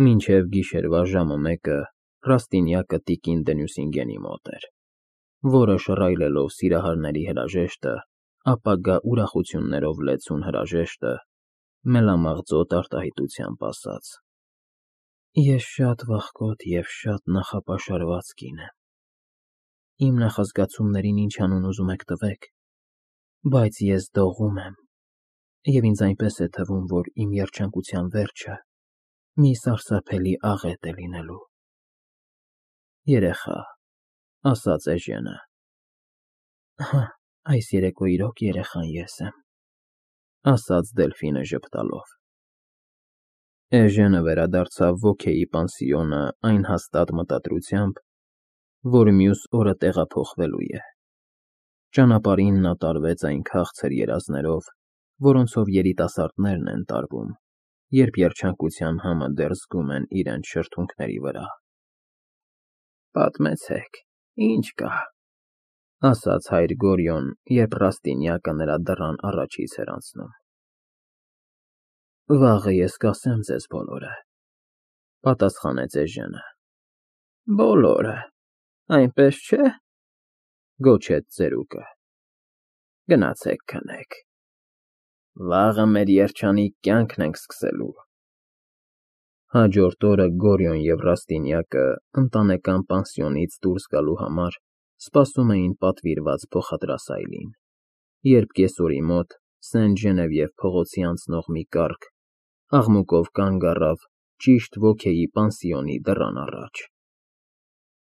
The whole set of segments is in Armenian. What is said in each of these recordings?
Մինչև գիշերվա ժամը 1-ը Ռաստինյակը տիկին Դենյուսինգենի մոտ էր, որը շռայլելով սիրահարների հրաժեշտը, ապագա ուրախություններով լեցուն հրաժեշտը, մելամաղձոտ արտահայտությամբ ասաց. Ես շատ վախկոտ և շատ նախապաշարված կին եմ, իմ նախազգացումներին ինչ անուն ուզում եք տվեք, բայց ես դողում եմ, և ինձ այնպես է թվում, որ իմ երջանկության վերջը մի սարսափելի աղետ է լինելու։ Երեխա, ասաց Էժենը։ Այս երեկո իրոք երեխան ես եմ, ասաց Դելֆինը ժպտալով։ Էժենը վերադարձավ Ոքեի պանսիոնը այն հաստատ մտադրությամբ, որ մյուս օրը տեղափոխվելու է։ Ճանապարհին նա տարվեց այն քաղցր երազներով, որոնցով երիտասարդներն են տարվում, երբ երջանկության համը դեռ զգում են իրենց շրթունքների վրա։ Պատմեցեք, ինչ կա, ասաց հայր Գորյոն, երբ Ռաստինյակը նրա դռան առաջից էր անցնում։ Վաղը ես կասեմ ձեզ բոլորը, պատասխանեց Էժենը։ Բոլորը, այնպես չէ, գոչեց ծերուկը։ Գնացեք քնեք։ Վաղը մեր երջանիկ կյանքն ենք սկսելու։ Հաջորդ օրը Գորյոն և Ռաստինյակը ընտանեկան պանսիոնից դուրս գալու համար սպասում էին պատվիրված փոխադրասայլին, երբ կեսօրի մոտ Սենտ Ժենևիև փողոցի անցնող մի կառք աղմուկով կանգ առավ ճիշտ Ոքեի պանսիոնի դռան առաջ։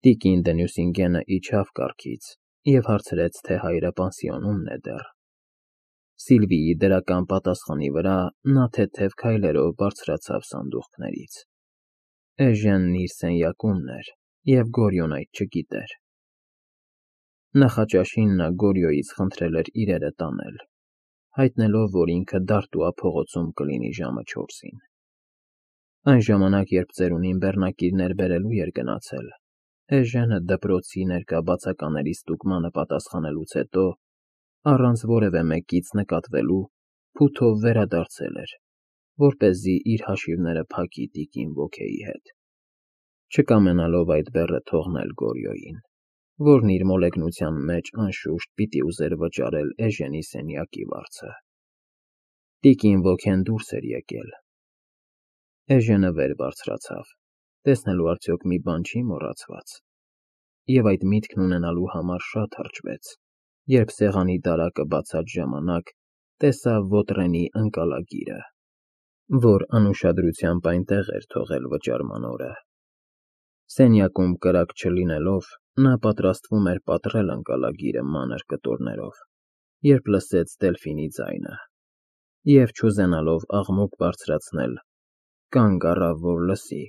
Տիկին Դենյուսինգենը իջավ կառքից և հարցրեց, թե հայրը պանսիոնում է դեռ։ Սիլվիի դրական պատասխանի վրա նա թեթև քայլերով բարձրացավ սանդուղքներից։ Էժենն իր սենյակումն էր, և Գորյոն այդ չգիտեր։ Նախաճաշին նա Գորյոյից խնդրել էր իրերը տանել, հայտնելով, որ ինքը Դարտուա փողոցում կլինի ժամը 4-ին։ Այն ժամանակ, երբ ծերունին բեռնակիրներ բերելու էր գնացել, Էժենը դպրոցի ներկա բացակաների ստուգմանը պատասխանելուց հետո, առանց որևէ մեկից նկատվելու, փութով վերադարձել էր, որպեսզի իր հաշիվները փակի տիկին Ոքեի հետ, չկամենալով այդ բեռը թողնել Գորյոյին, որն իր մոլեգնության մեջ անշուշտ պիտի ուզեր վճարել Էժենի սենյակի վարձը։ Տիկին Ոքեն դուրս էր եկել։ Էժենը վեր բարձրացավ, տեսնելու արդյոք մի բան չի մոռացված, և այդ միտքն ունենալու համար շատ հրճվեց, երբ սեղանի դարակը բացած ժամանակ տեսավ Ոտրենի ընկալագիրը, որ անուշադրությամբ այնտեղ էր թողել վճարման օրը։ Սենյակում կրակ չլինելով, նա պատրաստվում էր պատռել ընկալագիրը մանր կտորներով, երբ լսեց Դելֆինի ձայնը, և չուզենալով աղմուկ բարձրացնել, կանգ առավ, որ լսի,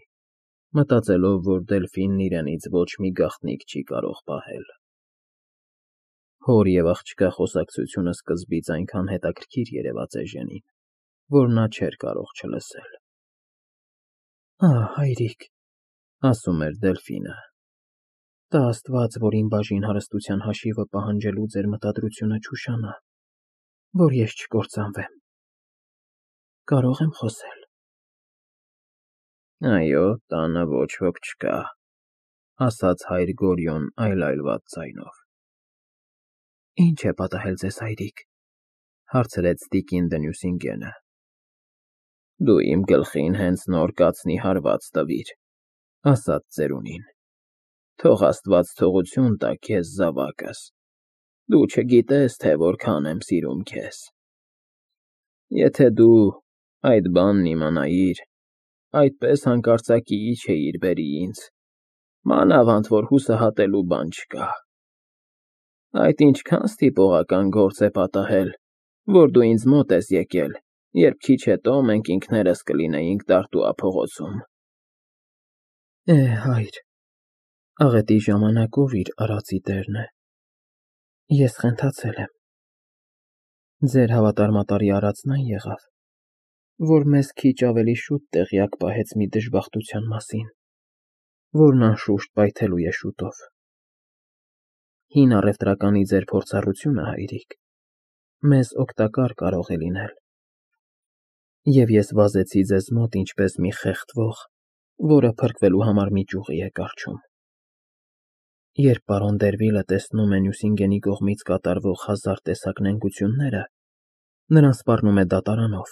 մտածելով, որ Դելֆինն իրենից ոչ մի գաղտնիք չի կարող պահել։ Հոր և աղջկա խոսակցությունը սկզբից այնքան հետաքրքիր երևաց Էժենին, որ նա չէր կարող չլսել։ Հայրիկ, ասում էր Դելֆինը, տա Աստված, որ իմ բաժին հարստության հաշիվը պահանջելու ձեր մտադրությունը չուշանա, որ ես չկործանվեմ։ Կարո՞ղ եմ խոսել։ Այո, տանը ոչ ոք չկա, ասաց հայր Գորյոն այլայլված ձայնով։ Ինչ է պատահել ձեզ, հայրիկ, հարցրեց տիկին Դենյուսինգենը։ Դու իմ գլխին հենց նոր կացնի հարված տվիր, ասաց ծերունին։ Թող Աստված թողություն տա քեզ զավակս, դու չգիտես, թե որքան եմ սիրում քեզ։ Եթե դու այդ բանն իմանայիր, այդպես հանկարծակիի չէիր բերի ինձ, մանավանդ որ հուսահատելու բան չկա։ Այդ ինչքան ստիպողական գործ է պատահել, որ դու ինձ մոտ ես եկել, երբ քիչ հետո մենք ինքներս կլինեինք Դարտուա փողոցում։ Հայր, աղետի ժամանակ ով իր արածի տերն է։ Ես խենթացել եմ։ Ձեր հավատարմատարի արածն այն եղավ, որ մեզ քիչ ավելի շուտ տեղյակ պահեց մի դժբախտության մասին, որն անշուշտ պայթելու է շուտով։ Հին առևտրականի ձեր փորձառությունը, հայրիկ, մեզ օգտակար կարող է լինել, և ես վազեցի ձեզ մոտ ինչպես մի խեղդվող, որը փրկվելու համար մի ճյուղի է կառչում։ Երբ պարոն Դերվիլը տեսնում է Նյուսինգենի կողմից կատարվող հազար տեսակ նենգությունները, նրան սպառնում է դատարանով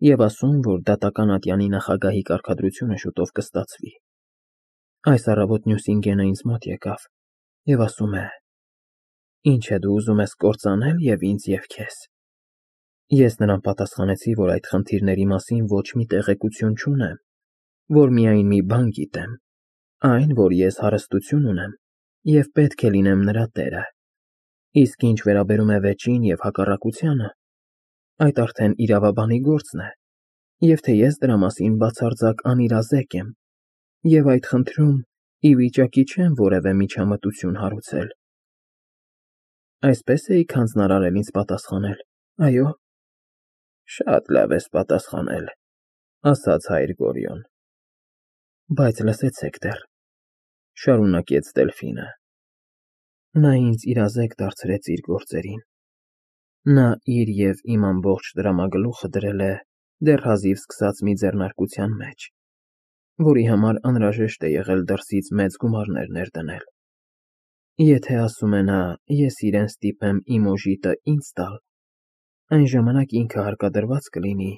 և ասում, որ դատական ատյանի նախագահի կարգադրությունը շուտով կստացվի։ Այս առավոտ Նյուսինգենը ինձ մոտ եկավ և ասում է. «Ինչ է դու ուզում ես կործանել և ինձ և քեզ»։ Ես նրան պատասխանեցի, որ այդ խնդիրների մասին ոչ մի տեղեկություն չունեմ, որ միայն մի բան գիտեմ, այն, որ ես հարստություն ունեմ և պետք է լինեմ նրա տերը, իսկ ինչ վերաբերում է վեճին և հակառակությանը, այդ արդեն իրավաբանի գործն է, և թե ես դրա մասին բացարձակ անիրազեկ եմ, և այդ խնդրում ի վիճակի չեմ որևէ միջամտություն հարուցել։ Այսպես էիք հանձնարարել ինձ պատասխանել, այո։ Շատ լավ ես պատասխանել, ասաց հայր Գորիոն։ Բայց լսեցեք դեռ, շարունակեց Դելֆինը. նա ինձ իրազեկ դարձրեց իր գործերին։ Նա իր և իմ ամբողջ դրամագլուխը դրել է դեռ հազիվ սկսած մի ձեռնարկության մեջ, որի համար անհրաժեշտ է եղել դրսից մեծ գումարներ ներդնել։ Եթե ասում է նա, ես իրեն ստիպեմ իմ օժիտը ինձ տալ, այն ժամանակ ինքը հարկադրված կլինի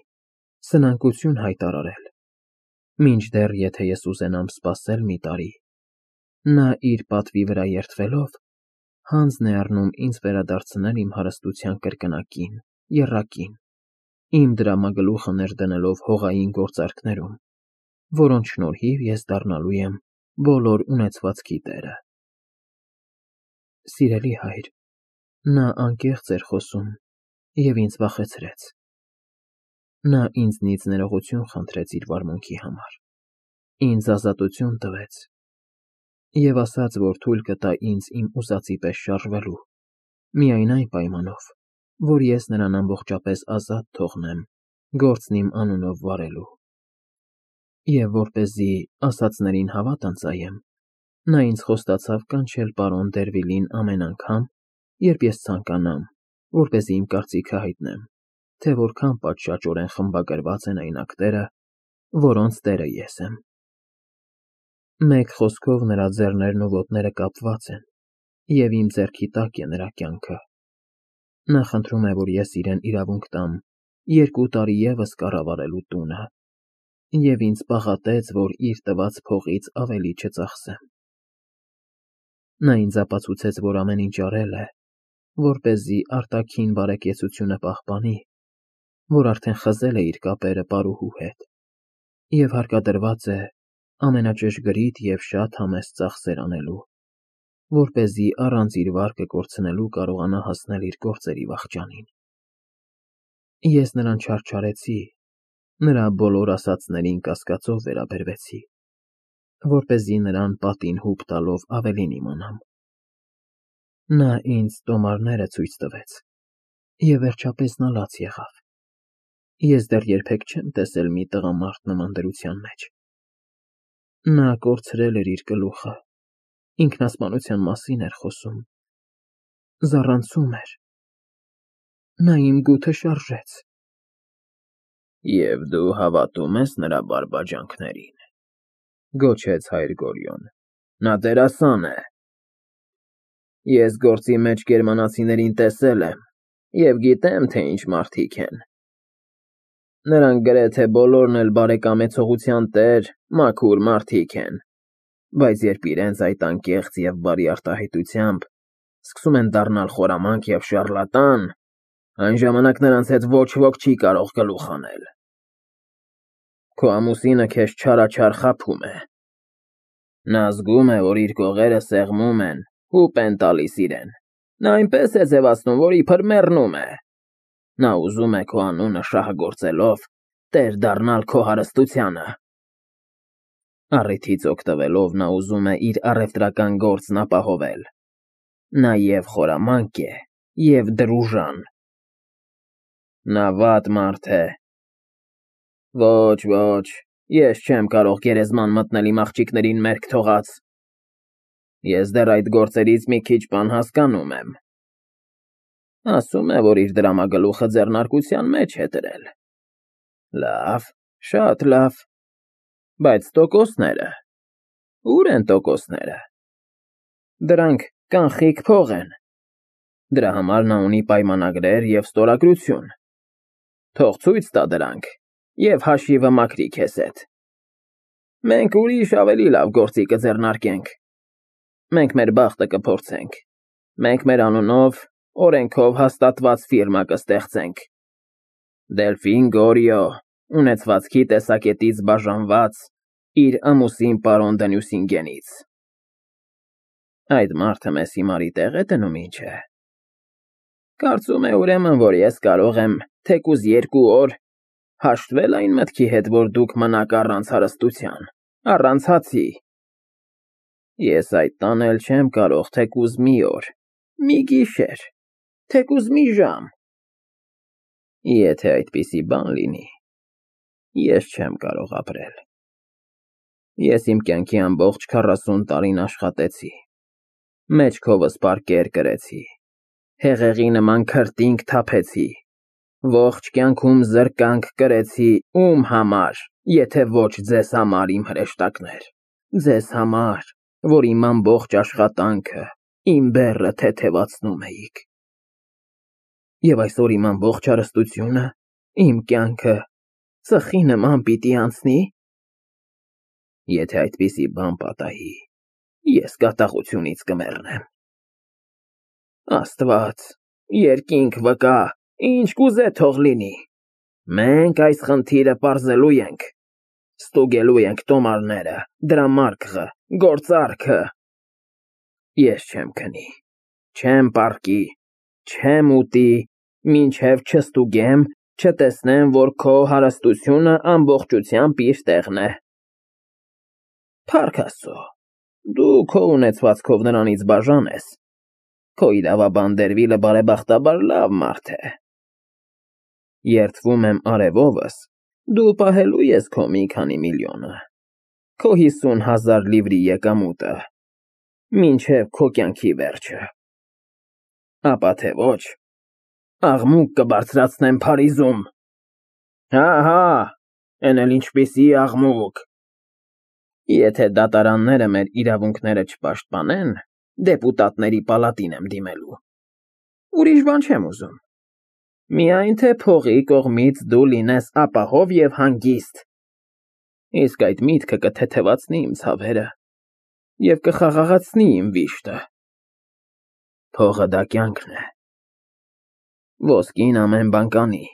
սնանկություն հայտարարել, մինչդեռ եթե ես ուզենամ սպասել մի տարի, նա իր պատվի վրա երդվելով հանձն է առնում ինձ վերադարձնել իմ հարստության կրկնակին, եռակին, իմ դրամագլուխը ներդնելով հողային գործարքներում, որոնց շնորհիվ ես դառնալու եմ բոլոր ունեցվածքի տերը։ Սիրելի հայր, նա անկեղծ էր խոսում և ինձ վախեցրեց։ Նա ինձնից ներողություն խնդրեց իր վարմունքի համար, ինձ ազատություն տվեց և ասաց, որ թույլ կտա ինձ իմ ուզածի պես շարժվելու, միայն այն պայմանով, որ ես նրան ամբողջապես ազատ թողնեմ գործն իմ անունով վարելու։ Եվ որպեսզի ասածներին հավատ ընծայեմ, նա ինձ խոստացավ կանչել պարոն Դերվիլին ամեն անգամ, երբ ես ցանկանամ, որպեսզի իմ կարծիքը հայտնեմ, թե որքան պատշաճորեն խմբագրված են այն ակտերը, որոնց տերը ես եմ։ Մեկ խոսքով նրա ձեռներն ու ոտները կապված են, և իմ ձեռքի տակ է նրա կյանքը։ Նա խնդրում է, որ ես իրեն իրավունք տամ 2 տարի ևս կառավարելու տունը, և ինձ պաղատեց, որ իր տված փողից ավելի չծախսեմ։ Նա ինձ ապացուցեց, որ ամեն ինչ արել է, որպեսզի արտաքին բարեկեցությունը պահպանի, որ արդեն խզել է իր կապերը պարուհու հետ, և հարկադրված է ամենաճշգրիտ և շատ համեստ ծախսեր անելու, որպեսզի առանց իր վարկը կորցնելու կարողանա հասնել իր գործերի վախճանին։ Ես նրան չարչարեցի, նրա բոլոր ասածներին կասկածով վերաբերվեցի, որպեսզի նրան պատին հուպ տալով ավելին իմանամ։ Նա ինձ տոմարները ցույց տվեց, և վերջապես նա լաց եղավ։ Ես դեռ երբեք չեմ տեսել մի տղամարդ նման դրության մեջ։ Նա կորցրել էր իր գլուխը, ինքնասպանության մասին էր խոսում, զառանցում էր։ Նա իմ գութը շարժեց։ Եվ դու հավատում ես նրա բարբաջանքներին, գոչեց հայր Գորիոն։ Նա դերասան է։ Ես գործի մեջ գերմանացիներին տեսել եմ և գիտեմ, թե ինչ մարդիկ են։ Նրանք գրեթե բոլորն էլ բարեկամեցողության տեր, մաքուր մարդիկ են, բայց երբ իրենց այդ անկեղծ և բարի արտահայտությամբ սկսում են դառնալ խորամանկ և շառլատան, այն ժամանակ նրանց հետ ոչ ոք չի կարող գլուխ հանել։ Քո ամուսինը քեզ չարաչար խաբում է։ Նա զգում է, որ իր կողերը սեղմում են, հուպ են տալիս իրեն։ Նա այնպես է ձևացնում, որ իբր մեռնում է։ Նա ուզում է քո անունը շահագործելով տեր դառնալ քո հարստությանը։ Առիթից օգտվելով նա ուզում է իր առևտրական գործն ապահովել։ Նա և խորամանկ է, և դրուժան։ Նա վատ մարդ է։ Ոչ, ես չեմ կարող գերեզման մտնել իմ աղջիկներին մերկ թողած։ Ես դեռ այդ գործերից մի քիչ բան հասկանում եմ։ Ասում է, որ իր դրամագլուխը ձեռնարկության մեջ է դրել։ Լավ, շատ լավ։ Բայց տոկոսները… Ուր են տոկոսները։ Դրանք կանխիկ փող են։ Դրա համար նա ունի պայմանագրեր և ստորագրություն։ Թող ցույց տա դրանք և հաշիվը մաքրի քեզ հետ։ Մենք ուրիշ ավելի լավ գործի կձեռնարկենք։ Մենք մեր բախտը կփորձենք։ Մենք մեր անունով, օրենքով հաստատված ֆիրմա կստեղծենք։ Դելֆին Գորիո, ունեցվածքի տեսակետից բաժանված իր ամուսին պարոն Դենյուսինգենից։ Այդ մարդը մեզ հիմարի տեղ է դնում, ինչ է։ Կարծում է ուրեմն, որ ես կարող եմ թեկուզ 2 օր հաշտվել այն մտքի հետ, որ դուք մնաք առանց հարստության, առանց հացի։ Ես այդ տանել չեմ կարող թեկուզ մի օր, մի գիշեր, թեկուզ մի ժամ։ Եթե այդպիսի բան լինի, ես չեմ կարող ապրել։ Ես իմ կյանքի ամբողջ 40 տարին աշխատեցի, մեջքովս պարկեր կրեցի, հեղեղի նման քրտինք թափեցի, ողջ կյանքում զրկանք կրեցի ում համար, եթե ոչ ձեզ համար, իմ հրեշտակներ, ձեզ համար, որ իմ ամբողջ աշխատանքը, իմ բեռը թեթևացնում էիք։ Եվ այսօր իմ ամբողջ հարստությունը, իմ կյանքը ծխի նման պիտի անցնի։ Եթե այդպիսի բան պատահի, ես կատաղությունից կմեռնեմ։ Աստված, երկինք վկա, ինչ կուզե թող լինի։ Մենք այս խնդիրը պարզելու ենք, ստուգելու ենք տոմարները, դրամարկղը, գործարքը։ Ես չեմ քնի, չեմ պառկի, չեմ ուտի, մինչև չստուգեմ, չտեսնեմ, որ քո հարստությունը ամբողջությամբ իր տեղն է։ Փառք Աստծո, դու քո ունեցվածքով նրանից բաժան ես։ Քո իրավաբան Դերվիլը բարեբախտաբար լավ մարդ է։ Երդվում եմ արևովս, դու պահելու ես քո մի քանի միլիոնը, քո 50,000 լիվրի եկամուտը, մինչև քո կյանքի վերջը։ Ապա թե ոչ, աղմուկ կբարձրացնեմ Փարիզում։ Հա, էն էլ ինչպիսի աղմուկ։ Եթե դատարանները մեր իրավունքները չպաշտպանեն, դեպուտատների պալատին եմ դիմելու։ Ուրիշ բան չեմ ուզում։ Միայն թե փողի կողմից դու լինես ապահով և հանգիստ։ Իսկ այդ միտքը կթեթևացնի իմ ցավերը և կխաղաղացնի իմ վիշտը։ Փողը դա կյանքն է։ Ոսկին ամեն բան կանի։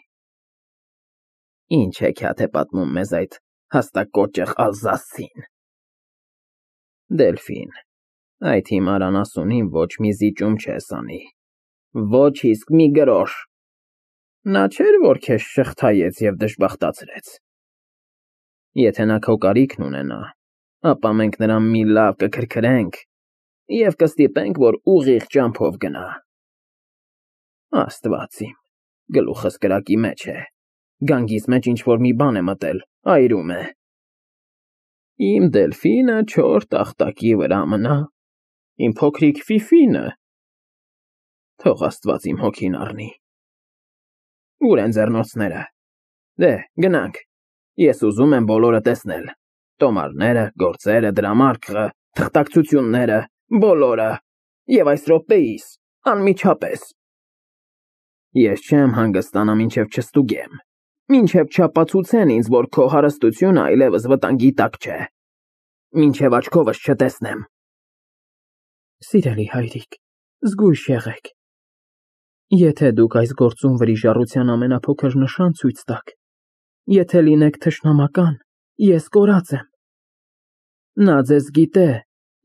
Ինչ հեքիաթ է պատմում մեզ այդ հաստակոճղ ալզասցին։ Դելֆին, այդ հիմար անասունին ոչ մի զիջում չես անի, ոչ իսկ մի գրոշ։ Նա չէր, որ քեզ շղթայեց և դժբախտացրեց։ Եթե նա քո կարիքն ունենա, ապա մենք նրան մի լավ կքրքրենք և կստիպենք, որ ուղիղ ճամփով գնա։ Աստված իմ, գլուխս կրակի մեջ է, գանգիս մեջ ինչ-որ մի բան է մտել, այրում է։ Իմ Դելֆինը չոր տախտակի վրա մնա, իմ փոքրիկ Ֆիֆինը։ Թող Աստված իմ հոգին առնի։ Ուր են ձեռնոցները։ Դե, գնանք։ Ես ուզում եմ բոլորը տեսնել։ Տոմարները, գործերը, դրամարկղը, թղթակցությունները, բոլորը։ Եվ այս րոպեիս, անմիջապես։ Ես չեմ հանգստանա, մինչև չստուգեմ, մինչև չապացուցեն ինձ, որ քո հարստությունը այլևս վտանգի տակ չէ, մինչև աչքովս չտեսնեմ։ Սիրելի հայրիկ, զգույշ եղեք։ Եթե դուք այս գործում վրիժառության ամենափոքր նշան ցույց տաք, եթե լինեք թշնամական, ես կորած եմ։ Նա ձեզ գիտե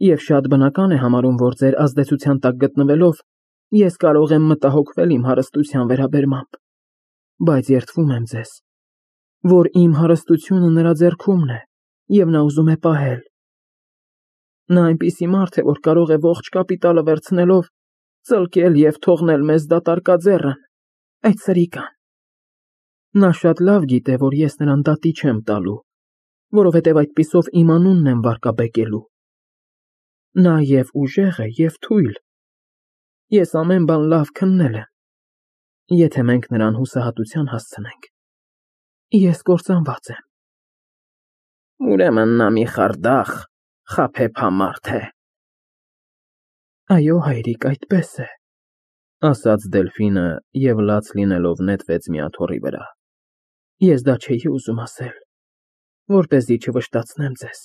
և շատ բնական է համարում, որ ձեր ազդեցության տակ գտնվելով, ես կարող եմ մտահոգվել իմ հարստության վերաբերմամբ, բայց երդվում եմ ձեզ, որ իմ հարստությունը նրա ձեռքումն է, և նա ուզում է պահել։ Նա այնպիսի մարդ է, որ կարող է ողջ կապիտալը վերցնելով ծլկել և թողնել մեզ դատարկաձեռն, այդ սրիկան։ Նա շատ լավ գիտե, որ ես նրան դատի չեմ տալու, որովհետև այդպիսով իմ անունն եմ վարկաբեկելու։ Նա և ուժեղ է, և թույլ։ Ես ամեն բան լավ քննել եմ, եթե մենք նրան հուսահատության հասցնենք։ Ես կործանված եմ։ Ուրեմն նա մի խարդախ, խաբեբա մարդ է։ Այո, հայրիկ, այդպես է, ասաց Դելֆինը և լաց լինելով նետվեց մի աթոռի վրա։ Ես դա չէի ուզում ասել, որպեսզի չվշտացնեմ ձեզ,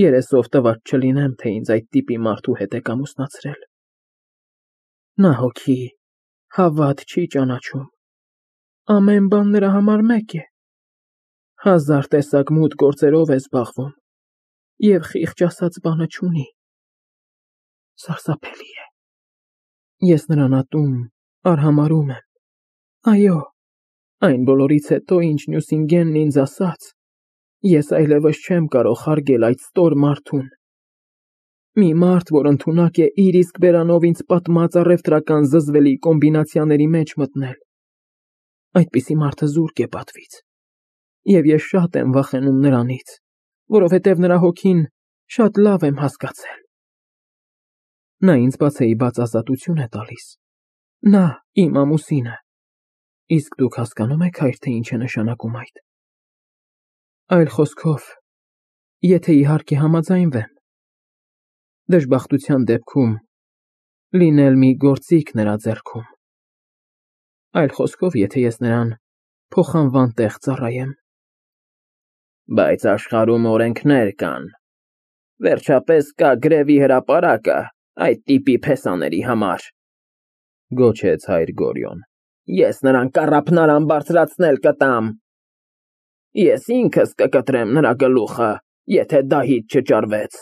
երեսով տված չլինեմ, թե ինձ այդ տիպի մարդու հետ եք ամուսնացրել։ Նա հոգի, հավատ չի ճանաչում, ամեն բան նրա համար մեկ է, 1000 տեսակ մութ գործերով է զբաղվում և խիղճ ասած բանը չունի։ Սարսափելի է։ Ես նրան ատում, արհամարհում եմ։ Այո, այն բոլորից հետո, ինչ Նյուսինգենն ինձ ասաց, ես այլևս չեմ կարող հարգել այդ ստոր մարդուն։ Մի մարդ, որ ընդունակ է իր իսկ բերանով ինձ պատմած առևտրական զզվելի կոմբինացիաների մեջ մտնել։ Այդպիսի մարդը զուրկ է պատվից։ Եվ ես շատ եմ վախենում նրանից, որովհետև նրա հոգին շատ լավ եմ հասկացել։ Նա ինձ բացեիբաց ազատություն է տալիս։ Նա իմ ամուսինը։ Իսկ դուք հասկանում եք, հայր, թե ինչ է նշանակում այդ։ Այլ խոսքով, եթե իհարկե համաձայնվեմ, դժբախտության դեպքում լինել մի գործիք նրա ձեռքում։ Այլ խոսքով, եթե ես նրան փոխանվան տեղ ծառայեմ։ Բայց աշխարհում օրենքներ կան։ Վերջապես կա գրևի հրապարակը այդ տիպի փեսաների համար, գոչեց հայր Գորյուն։ Ես նրան կառափնարան բարձրացնել կտամ։ Ես ինքս կկտրեմ նրա գլուխը, եթե դահիճ չճարվեց։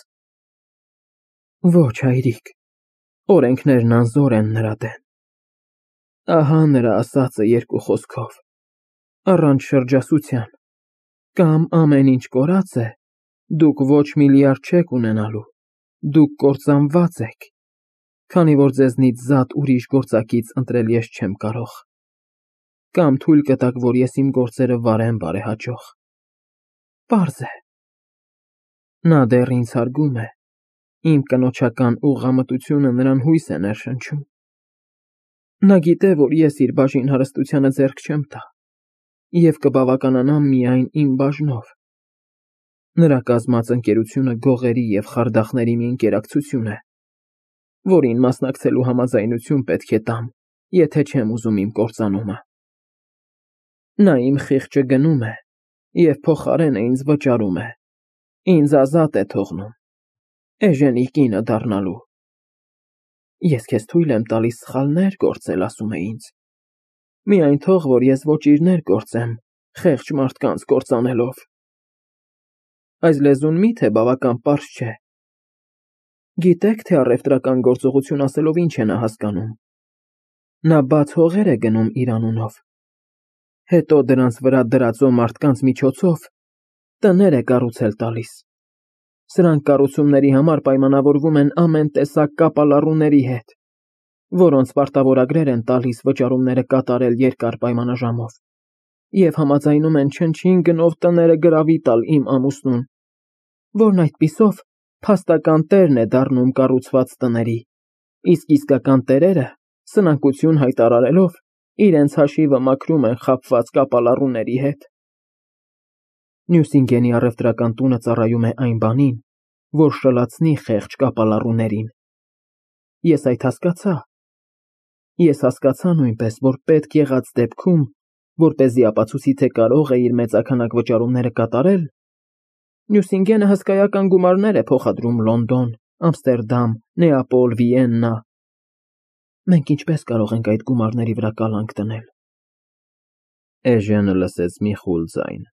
Ոչ, հայրիկ, օրենքներն անզոր են նրա դեմ։ Ահա նրա ասածը երկու խոսքով, առանց շրջասության, կամ ամեն ինչ կորած է, դուք ոչ միլիարդ չեք ունենալու, դուք կործանված եք, քանի որ ձեզնից զատ ուրիշ գործակից ընտրել ես չեմ կարող, կամ թույլ կտաք, որ ես իմ գործերը վարեմ բարեհաճող։ Պարզ է։ Նա դեռ ինձ հարգում է, իմ կնոջական ուղղամտությունը նրան հույս է ներշնչում։ Նա գիտե, որ ես իր բաժին հարստությանը ձեռք չեմ տա և կբավականանամ միայն իմ բաժնով։ Նրա կազմած ընկերությունը գողերի և խարդախների մի ընկերակցություն է, որին մասնակցելու համաձայնություն պետք է տամ, եթե չեմ ուզում իմ կործանումը։ Նա իմ խիղճը գնում է և փոխարենը ինձ վճարում է, ինձ ազատ է թողնում, էժենի կինը դառնալու։ Ես քեզ թույլ եմ տալիս սխալներ գործել, ասում է ինձ։ Միայն թող, որ ես ոճիրներ գործեմ, խեղճ մարդկանց կործանելով։ Այս լեզուն միթե բավական պարզ չէ։ Գիտեք, թե առևտրական գործողություն ասելով ինչ է նա հասկանում։ Նա բաց հողեր է գնում իր անունով, հետո դրանց վրա դրածո մարդկանց միջոցով տներ է կառուցել տալիս։ Սրանք կառուցումների համար պայմանավորվում են ամեն տեսակ կապալառուների հետ, որոնց պարտավորագրեր են տալիս վճարումները կատարել երկար պայմանաժամով, և համաձայնում են չնչին գնով տները գրավի տալ իմ ամուսնուն, որն այդպիսով փաստական տերն է դառնում կառուցված տների, իսկ իսկական տերերը, սնանկություն հայտարարելով, իրենց հաշիվը մաքրում են խաբված կապալառուների հետ։ Նյուսինգենի առևտրական տունը ծառայում է այն բանին, որ շլացնի խեղճ կապալառուներին։ Ես այդ հասկացա։ Ես հասկացա նույնպես, որ պետք եղած դեպքում, որպեսզի ապացուցի, թե կարող է իր մեծաքանակ վճարումները կատարել, Նյուսինգենը հսկայական գումարներ է փոխադրում Լոնդոն, Ամստերդամ, Նեապոլ, Վիեննա։ Մենք ինչպես կարող ենք այդ գումարների վրա կալանք դնել։ Էժենը լսեց մի խուլ ձայն,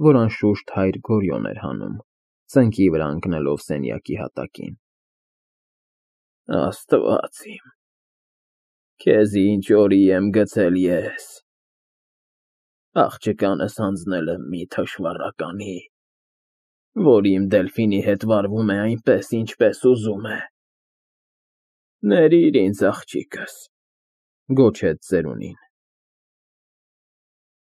որ անշուշտ հայր Գորյուն էր հանում, ծնկի վրա ընկնելով սենյակի հատակին։ Աստված իմ, քեզ ինչ օրի եմ գցել ես։ Աղջկանս հանձնել եմ մի թշվառականի, որ իմ Դելֆինի հետ վարվում է այնպես, ինչպես ուզում է։ Ներիր ինձ, աղջիկս, գոչեց ծերունին։